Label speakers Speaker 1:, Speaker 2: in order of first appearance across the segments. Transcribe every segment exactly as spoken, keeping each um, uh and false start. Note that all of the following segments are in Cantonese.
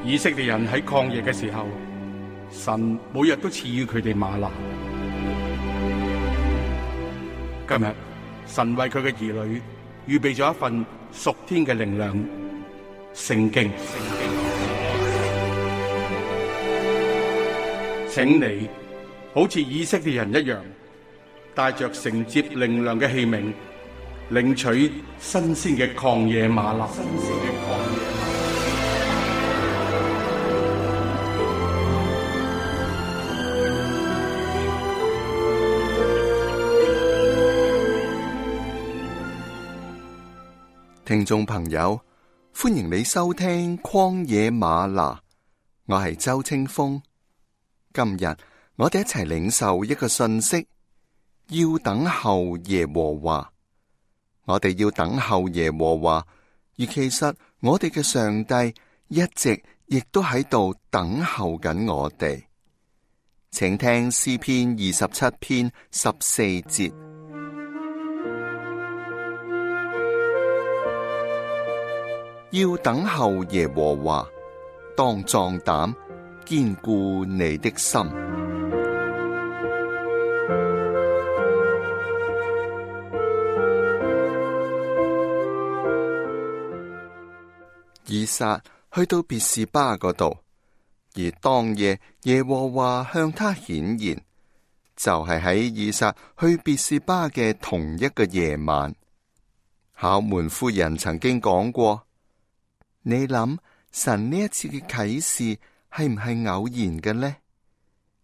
Speaker 1: 以色列人喺曠野嘅時候，神每日都賜予佢哋嗎哪。今日神為佢嘅兒女預備咗一份屬天嘅靈糧——聖經。請你好似以色列人一樣，帶着承接靈糧嘅器皿，領取新鮮嘅曠野嗎哪。新鮮嘅曠野嗎
Speaker 2: 哪。聽眾朋友，歡迎你收聽曠野嗎哪，我係周清風。今日我哋一齊領受一個信息，要等候耶和華。我哋要等候耶和華，而其實我哋嘅上帝一直亦都喺度等候緊我哋。請聽詩篇二十七篇十四節：要等候耶和華，當壯膽，堅固你的心。以撒去到別是巴嗰度，而當夜耶和華向他顯現，就係喺以撒去別是巴嘅同一個夜晚。考門夫人曾經講過：你諗神呢一次嘅啟示係唔係偶然嘅呢？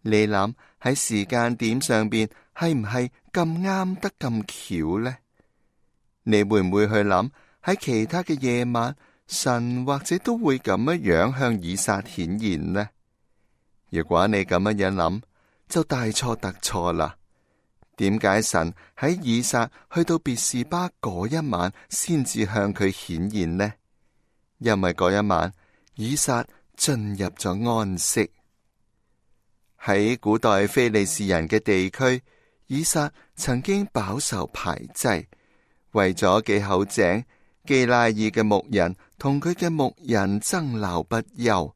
Speaker 2: 你諗喺時間點上邊係唔係咁啱得咁巧呢？你會唔會去諗喺其他嘅夜晚，神或者都會咁樣樣向以撒顯現呢？如果你咁樣樣諗，就大錯特錯啦。點解神喺以撒去到別是巴嗰一晚先至向佢顯現呢？因為嗰一晚以撒進入咗安息。喺古代非利士人嘅地區，以撒曾經飽受排擠，為咗幾口井，基拉耳嘅牧人同佢嘅牧人爭鬧不休，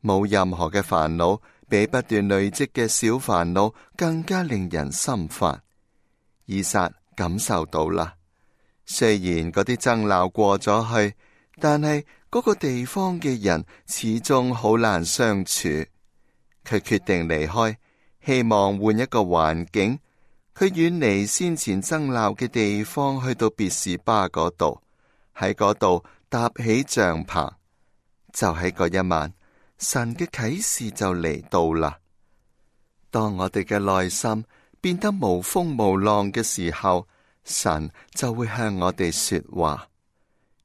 Speaker 2: 冇任何嘅煩惱比不斷累積嘅小煩惱更加令人心煩。以撒感受到啦，雖然嗰啲爭鬧過咗去，但係嗰個地方嘅人始終好難相處。佢決定離開，希望換一個環境。佢遠離先前爭鬧嘅地方，去到別是巴嗰度，喺嗰度搭起帳篷。就喺嗰一晚，神嘅啟示就嚟到啦。當我哋嘅內心變得無風無浪嘅時候，神就會向我哋說話。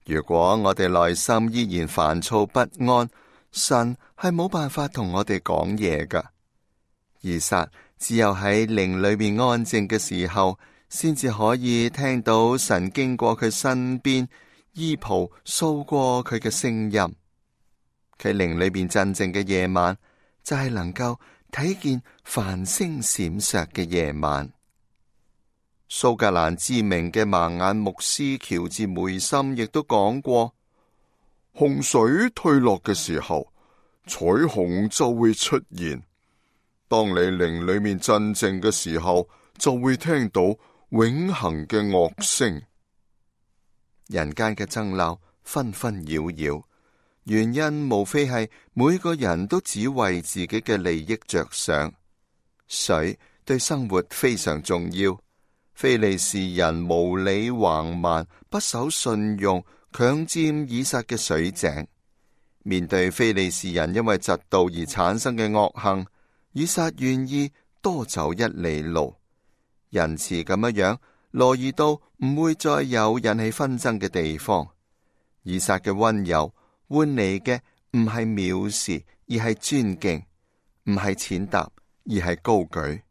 Speaker 2: 如果我哋內心依然煩躁不安，神係冇辦法同我哋講嘢噶。以撒只有喺靈裏面安靜嘅時候，先至可以聽到神經過佢身邊，衣袍掃過佢嘅聲音。佢靈裏面鎮靜嘅夜晚，就係能夠睇見繁星閃爍嘅夜晚。蘇格蘭知名嘅盲眼牧師喬治梅森亦都講過：洪水退落嘅時候，彩虹就會出現。當你靈裏面鎮靜嘅時候，就會聽到永恆嘅樂聲。人間嘅爭鬧紛紛擾擾，原因無非係每個人都只為自己嘅利益着想。水對生活非常重要。非利士人無理橫蠻，不守信用，強佔以撒嘅水井。面對非利士人因為嫉妒而產生嘅惡行，以撒願意多走一里路，仁慈咁樣樣，挪移到唔會再有引起紛爭嘅地方。以撒嘅溫柔換嚟嘅唔係藐視，而係尊敬；唔係踐踏，而係高舉。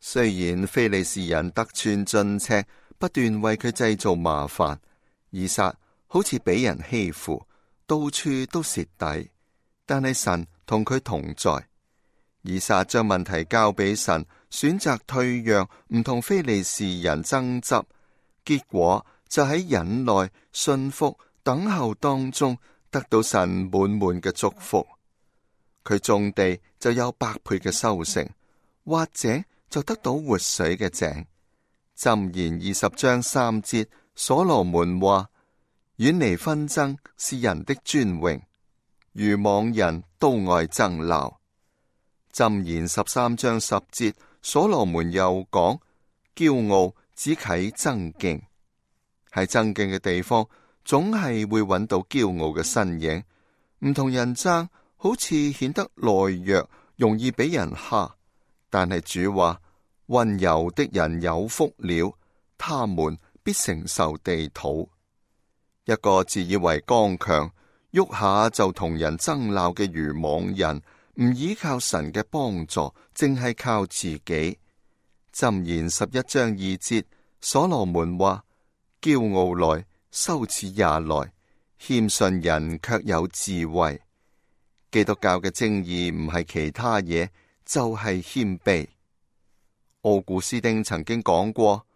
Speaker 2: 雖然非利士人得寸進尺，不斷為佢製造麻煩，以撒好似俾人欺負，到處都蝕底，但係神同佢同在。以撒將問題交俾神，選擇退讓，唔同非利士人爭執，結果就喺忍耐、信服、等候當中得到神滿滿嘅祝福。佢種地就有百倍嘅收成，挖井就得到活水嘅井。箴言二十章三節，所羅門話：遠離紛爭是人的尊榮，愚妄人都愛爭鬧。箴言十三章十節，所羅門又講：驕傲只啟爭競。喺爭競嘅地方，總係會揾到驕傲嘅身影。唔同人爭，好似顯得懦弱，容易俾人蝦。但係主話：溫柔的人有福了，他們必承受地土。一個自以為剛強，喐下就同人爭鬧嘅愚妄人，唔依靠神嘅幫助，淨係靠自己。箴言十一章二節，所羅門話：驕傲來，羞恥也來，謙遜人卻有智慧。基督教嘅正義唔係其他嘢，就係謙卑。奧古斯丁曾經講過，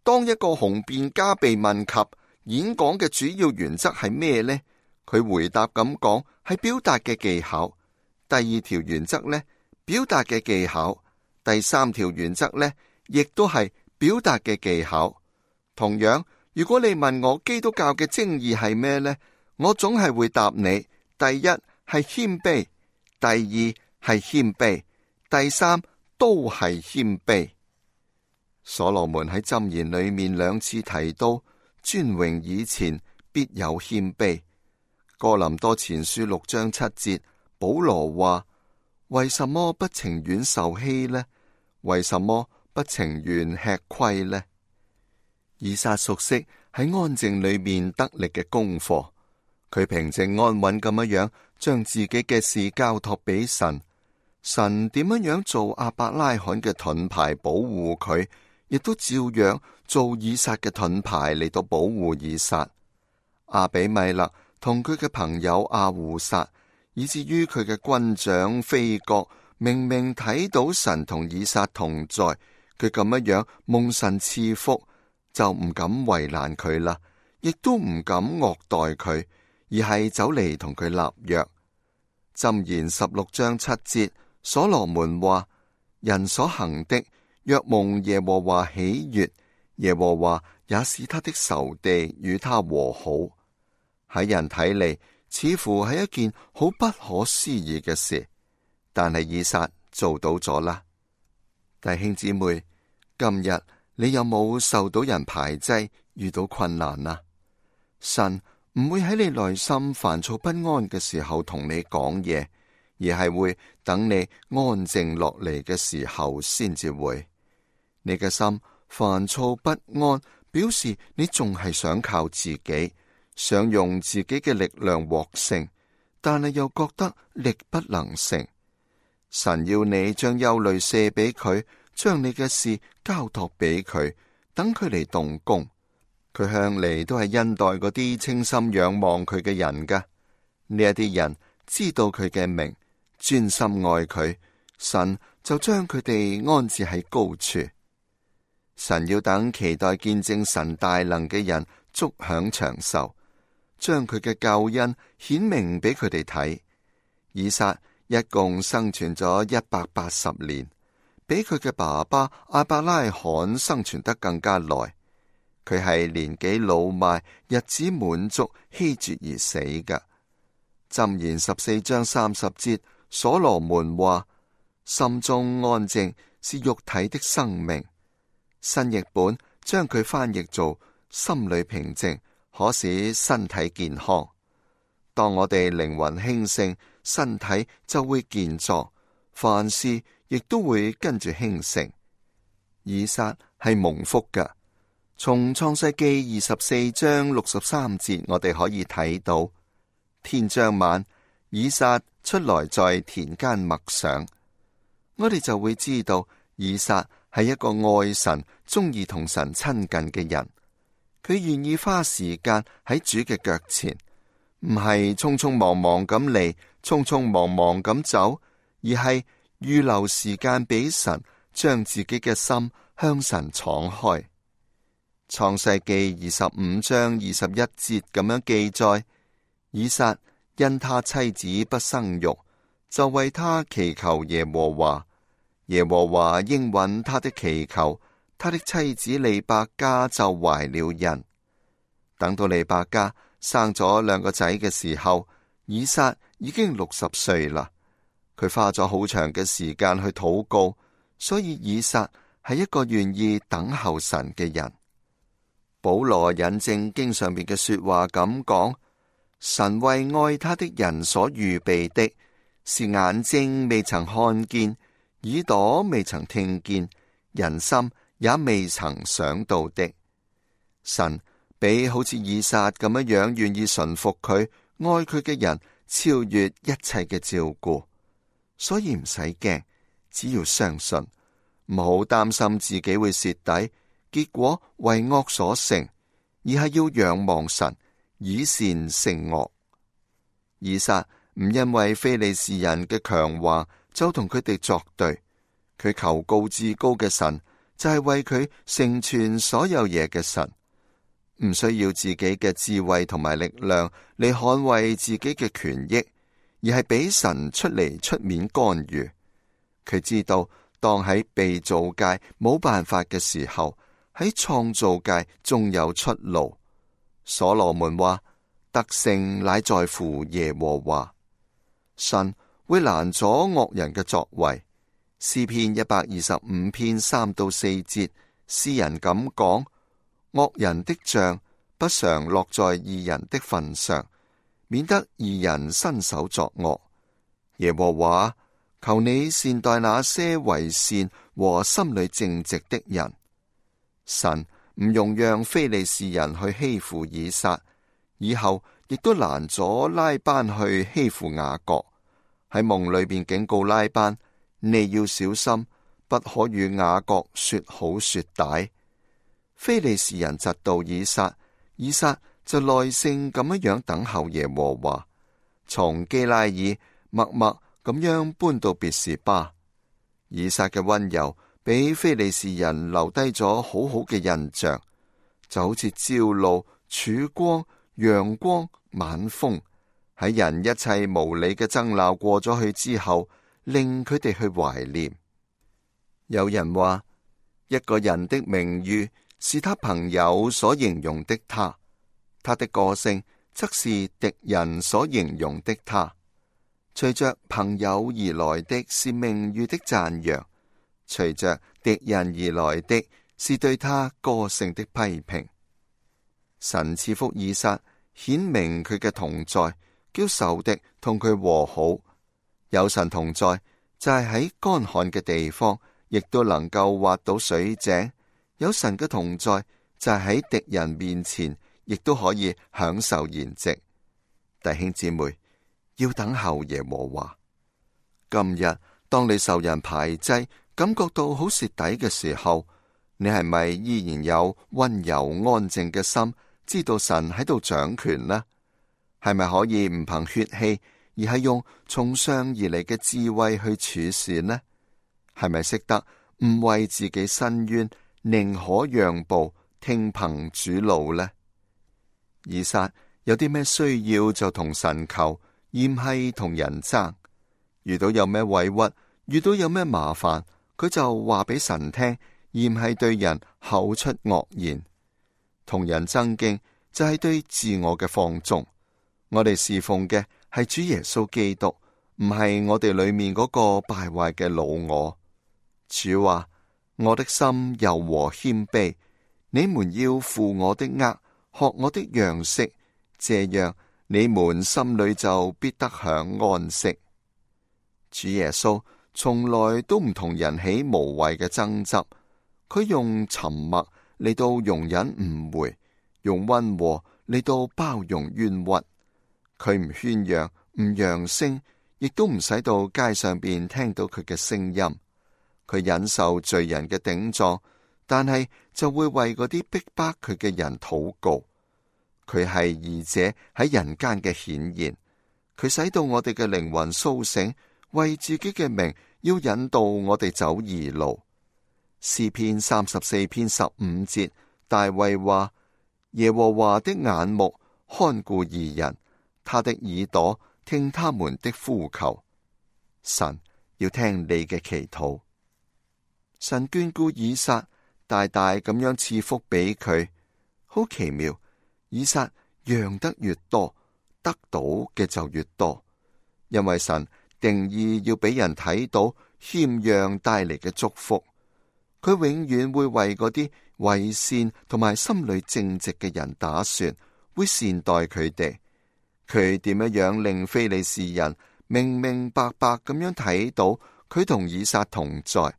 Speaker 2: 當一個雄辯家被問及演講嘅主要原則係咩呢？佢回答咁講，係表達嘅技巧。第二條原則呢，表達嘅技巧。第三條原則呢，亦都係表達嘅技巧。同樣，如果你問我基督教嘅正義係咩呢？我總係會答你：第一係謙卑，第二係謙卑，第三都係謙卑。所羅門喺箴言裏面兩次提到尊榮以前必有謙卑。哥林多前書六章七節，保羅話：為什麼不情願受欺呢？為什麼不情願吃虧呢？以撒熟悉喺安靜裏面得力嘅功課，佢平靜安穩咁樣樣將自己嘅事交託俾神。神點樣樣做亞伯拉罕嘅盾牌保護佢，亦都照樣做以撒嘅盾牌嚟到保護以撒。亞比米勒同佢嘅朋友亞戶撒，以至於佢嘅軍長非國，明明睇到神同以撒同在，佢咁樣樣蒙神賜福，就唔敢為難佢啦，亦都唔敢惡待佢，而係走嚟同佢立約。箴言十六章七節，所羅門話：人所行的，若蒙耶和華喜悅，耶和華也使他的仇敵與他和好。喺人睇嚟，似乎係一件好不可思議嘅事，但係以撒做到咗啦。弟兄姊妹，今日你有冇受到人排擠，遇到困難啊？神唔會喺你內心煩躁不安嘅時候同你講嘢，而係會等你安靜落嚟嘅時候先至會。你嘅心煩躁不安，表示你仲係想靠自己，想用自己嘅力量獲勝，但係又覺得力不能勝。神要你將憂慮卸俾佢，將你嘅事交託俾佢，等佢嚟動工。佢向嚟都係恩待嗰啲清心仰望佢嘅人噶。呢一啲人知道佢嘅名，專心愛佢，神就將佢哋安置喺高處。神要等期待見證神大能嘅人足享長壽，將佢嘅救恩顯明俾佢哋睇。以撒一共生存咗一百八十年，比佢嘅爸爸亞伯拉罕生存得更加耐。佢係年紀老邁，日子滿足，希絕而死嘅。箴言十四章三十節，所羅門話：心中安靜是肉體的生命。新譯本將佢翻譯做心裏平靜，可使身體健康。當我哋靈魂興盛，身體就會健壯，凡事亦都會跟住興盛。以撒係蒙福嘅。從創世記二十四章六十三節，我哋可以睇到，天將晚，以撒出來在田間默想，我哋就會知道以撒係一個愛神、中意同神親近嘅人。佢願意花時間喺主嘅腳前，唔係匆匆忙忙咁嚟，匆匆忙忙咁走，而係預留時間俾神，將自己嘅心向神敞開。創世記二十五章二十一節咁樣記載：以撒因他妻子不生育，就為他祈求耶和華。耶和華應允他的祈求，他的妻子利百加就懷了孕。等到利百加生咗兩個仔嘅時候，以撒已經六十歲啦。佢花咗好長嘅時間去禱告，所以以撒係一個願意等候神嘅人。保羅引證經上面嘅說話咁講：神為愛他的人所預備的，是眼睛未曾看見，耳朵未曾聽見，人心也未曾想到的。神比好似以撒咁樣樣願意順服佢、愛佢嘅人，超越一切嘅照顧。所以唔使驚，只要相信，唔好擔心自己會蝕底，結果為惡所成，而係要仰望神，以善勝惡。以撒唔因為非利士人嘅強橫就同佢哋作對，佢求告至高嘅神，就係為佢成全所有嘢嘅神，唔需要自己嘅智慧同埋力量嚟捍衛自己嘅權益，而係俾神出嚟出面干預。佢知道當喺被造界冇辦法嘅時候，喺創造界仲有出路。所羅門話：得勝乃在乎耶和華。神會攔阻惡人嘅作為。詩篇一百二十五篇三到四節，詩人咁講：惡人的杖不常落在義人的份上，免得義人伸手作惡。耶和華，求你善待那些為善和心裏正直的人。神唔容讓非利士人去欺負以撒，以後亦都攔阻拉班去欺負雅各。喺夢裏邊警告拉班：你要小心，不可與雅各說好說歹。非利士人嫉妒以撒，以撒就耐性咁樣樣等候耶和華。從基拉耳默默咁樣搬到別是巴。以撒嘅溫柔俾非利士人留低咗好好嘅印象，就好似朝露、曙光、陽光、晚風，喺人一切無理嘅爭鬧過咗去之後，令佢哋去懷念。有人話，一個人的名譽是他朋友所形容的他，他的個性則是敵人所形容的他。隨着朋友而來的是名譽的讚揚，隨着敵人而來的是對他個性的批評。神賜福以撒，顯明佢嘅同在，叫仇敵同佢和好。有神同在，就係喺乾旱嘅地方，亦都能夠挖到水井。有神嘅同在，就係喺敵人面前，亦都可以享受筵席。弟兄姊妹，要等候耶和華。今日當你受人排擠，感覺到好蝕底嘅時候，你係咪依然有溫柔安靜嘅心，知道神喺度掌權呢？係咪可以唔憑血氣，而係用從上而嚟嘅智慧去處事呢？係咪識得唔為自己申冤，寧可讓步，聽憑主怒呢？以撒有啲咩需要就同神求，而唔係同人爭。遇到有咩委屈，遇到有咩麻煩，佢就話俾神聽，而唔係對人口出惡言。同人爭競就係對自我嘅放縱。我哋侍奉嘅係主耶穌基督，唔係我哋裏面嗰個敗壞嘅老我。主話：我的心柔和謙卑，你們要負我的軛，學我的樣式，這樣你們心裏就必得享安息。主耶穌從來都唔同人起無謂嘅爭執，佢用沉默嚟到容忍誤會，用溫和嚟到包容冤屈。佢唔喧嚷，唔揚聲，亦都唔使到街上邊聽到佢嘅聲音。佢忍受罪人嘅頂撞，但係就會為嗰啲逼迫佢嘅人禱告。佢係義者喺人間嘅顯現，佢使到我哋嘅靈魂蘇醒，為自己嘅名要引導我哋走義路。詩篇三十四篇十五節，大衛話：耶和華的眼目看顧義人，他的耳朵聽他們的呼求。神要聽你嘅祈禱。神眷顧以撒，大大咁樣賜福俾佢。好奇妙，以撒讓得越多，得到嘅就越多。因為神定義要俾人睇到謙讓帶嚟嘅祝福。佢永遠會為嗰啲為善同埋心裏正直嘅人打算，會善待佢哋。佢點樣樣令非利士人明明白白咁樣睇到佢同以撒同在，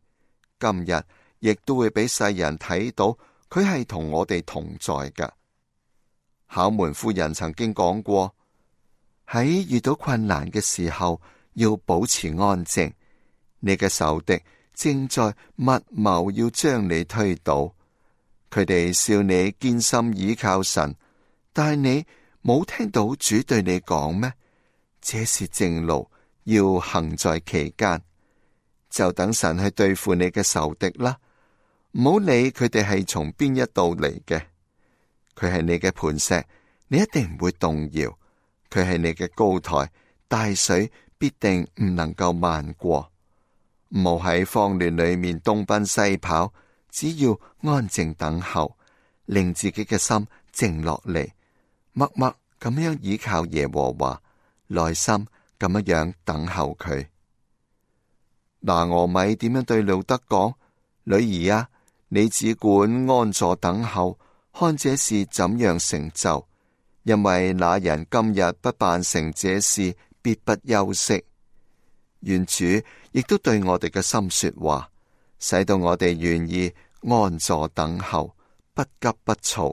Speaker 2: 今日亦都會俾世人睇到佢係同我哋同在㗎。考門夫人曾經講過，喺遇到困難嘅時候要保持安靜，你嘅仇敵正在密謀要將你推倒。佢哋笑你堅心倚靠神，但係你冇聽到主對你講咩？這是正路，要行在其間。就等神去對付你嘅仇敵啦，唔好理佢哋係從邊一度嚟嘅。佢係你嘅磐石，你一定唔會動搖；佢係你嘅高台，大水必定唔能夠漫過。唔好喺慌亂裏面東奔西跑，只要安靜等候，令自己嘅心靜落嚟，默默咁樣倚靠耶和華，耐心咁樣樣等候佢。拿俄米點樣對路德講？女兒啊，你只管安坐等候，看這事怎樣成就，因為那人今日不辦成這事，必不休息。願主亦都對我哋嘅心說話，使到我哋願意安坐等候，不急不躁。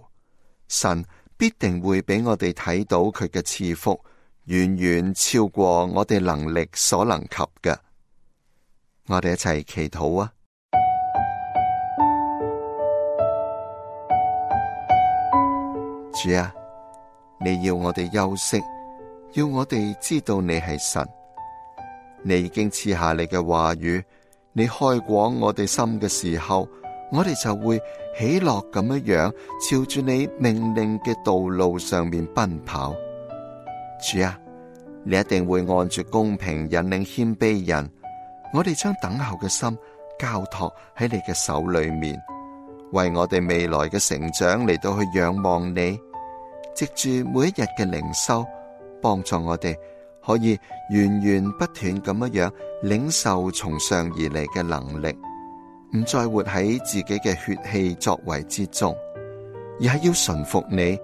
Speaker 2: 神必定會俾我哋睇到佢嘅賜福，遠遠超過我哋能力所能及嘅。我哋一齊祈禱啊！主啊，你要我哋休息，要我哋知道你係神。你已經賜下你嘅話語，你開廣我哋心嘅時候，我哋就會喜樂咁樣樣，朝住你命令嘅道路上面奔跑。主啊，你一定會按住公平引領謙卑人。我哋將等候嘅心交託喺你嘅手裏面，為我哋未來嘅成長嚟到去仰望你，藉住每一日嘅靈修，幫助我哋可以源源不斷咁樣樣領受從上而嚟嘅能力，唔再活喺自己嘅血氣作為之中，而係要順服你，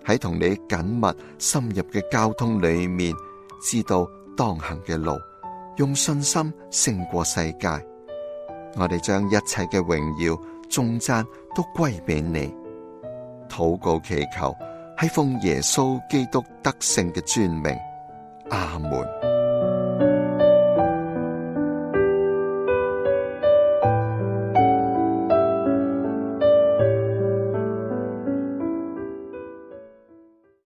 Speaker 2: 喺同你緊密深入嘅交通裏面，知道當行嘅路，用信心勝過世界。我哋將一切嘅榮耀頌讚都歸俾你，禱告祈求係奉耶穌基督得勝嘅尊名，阿門。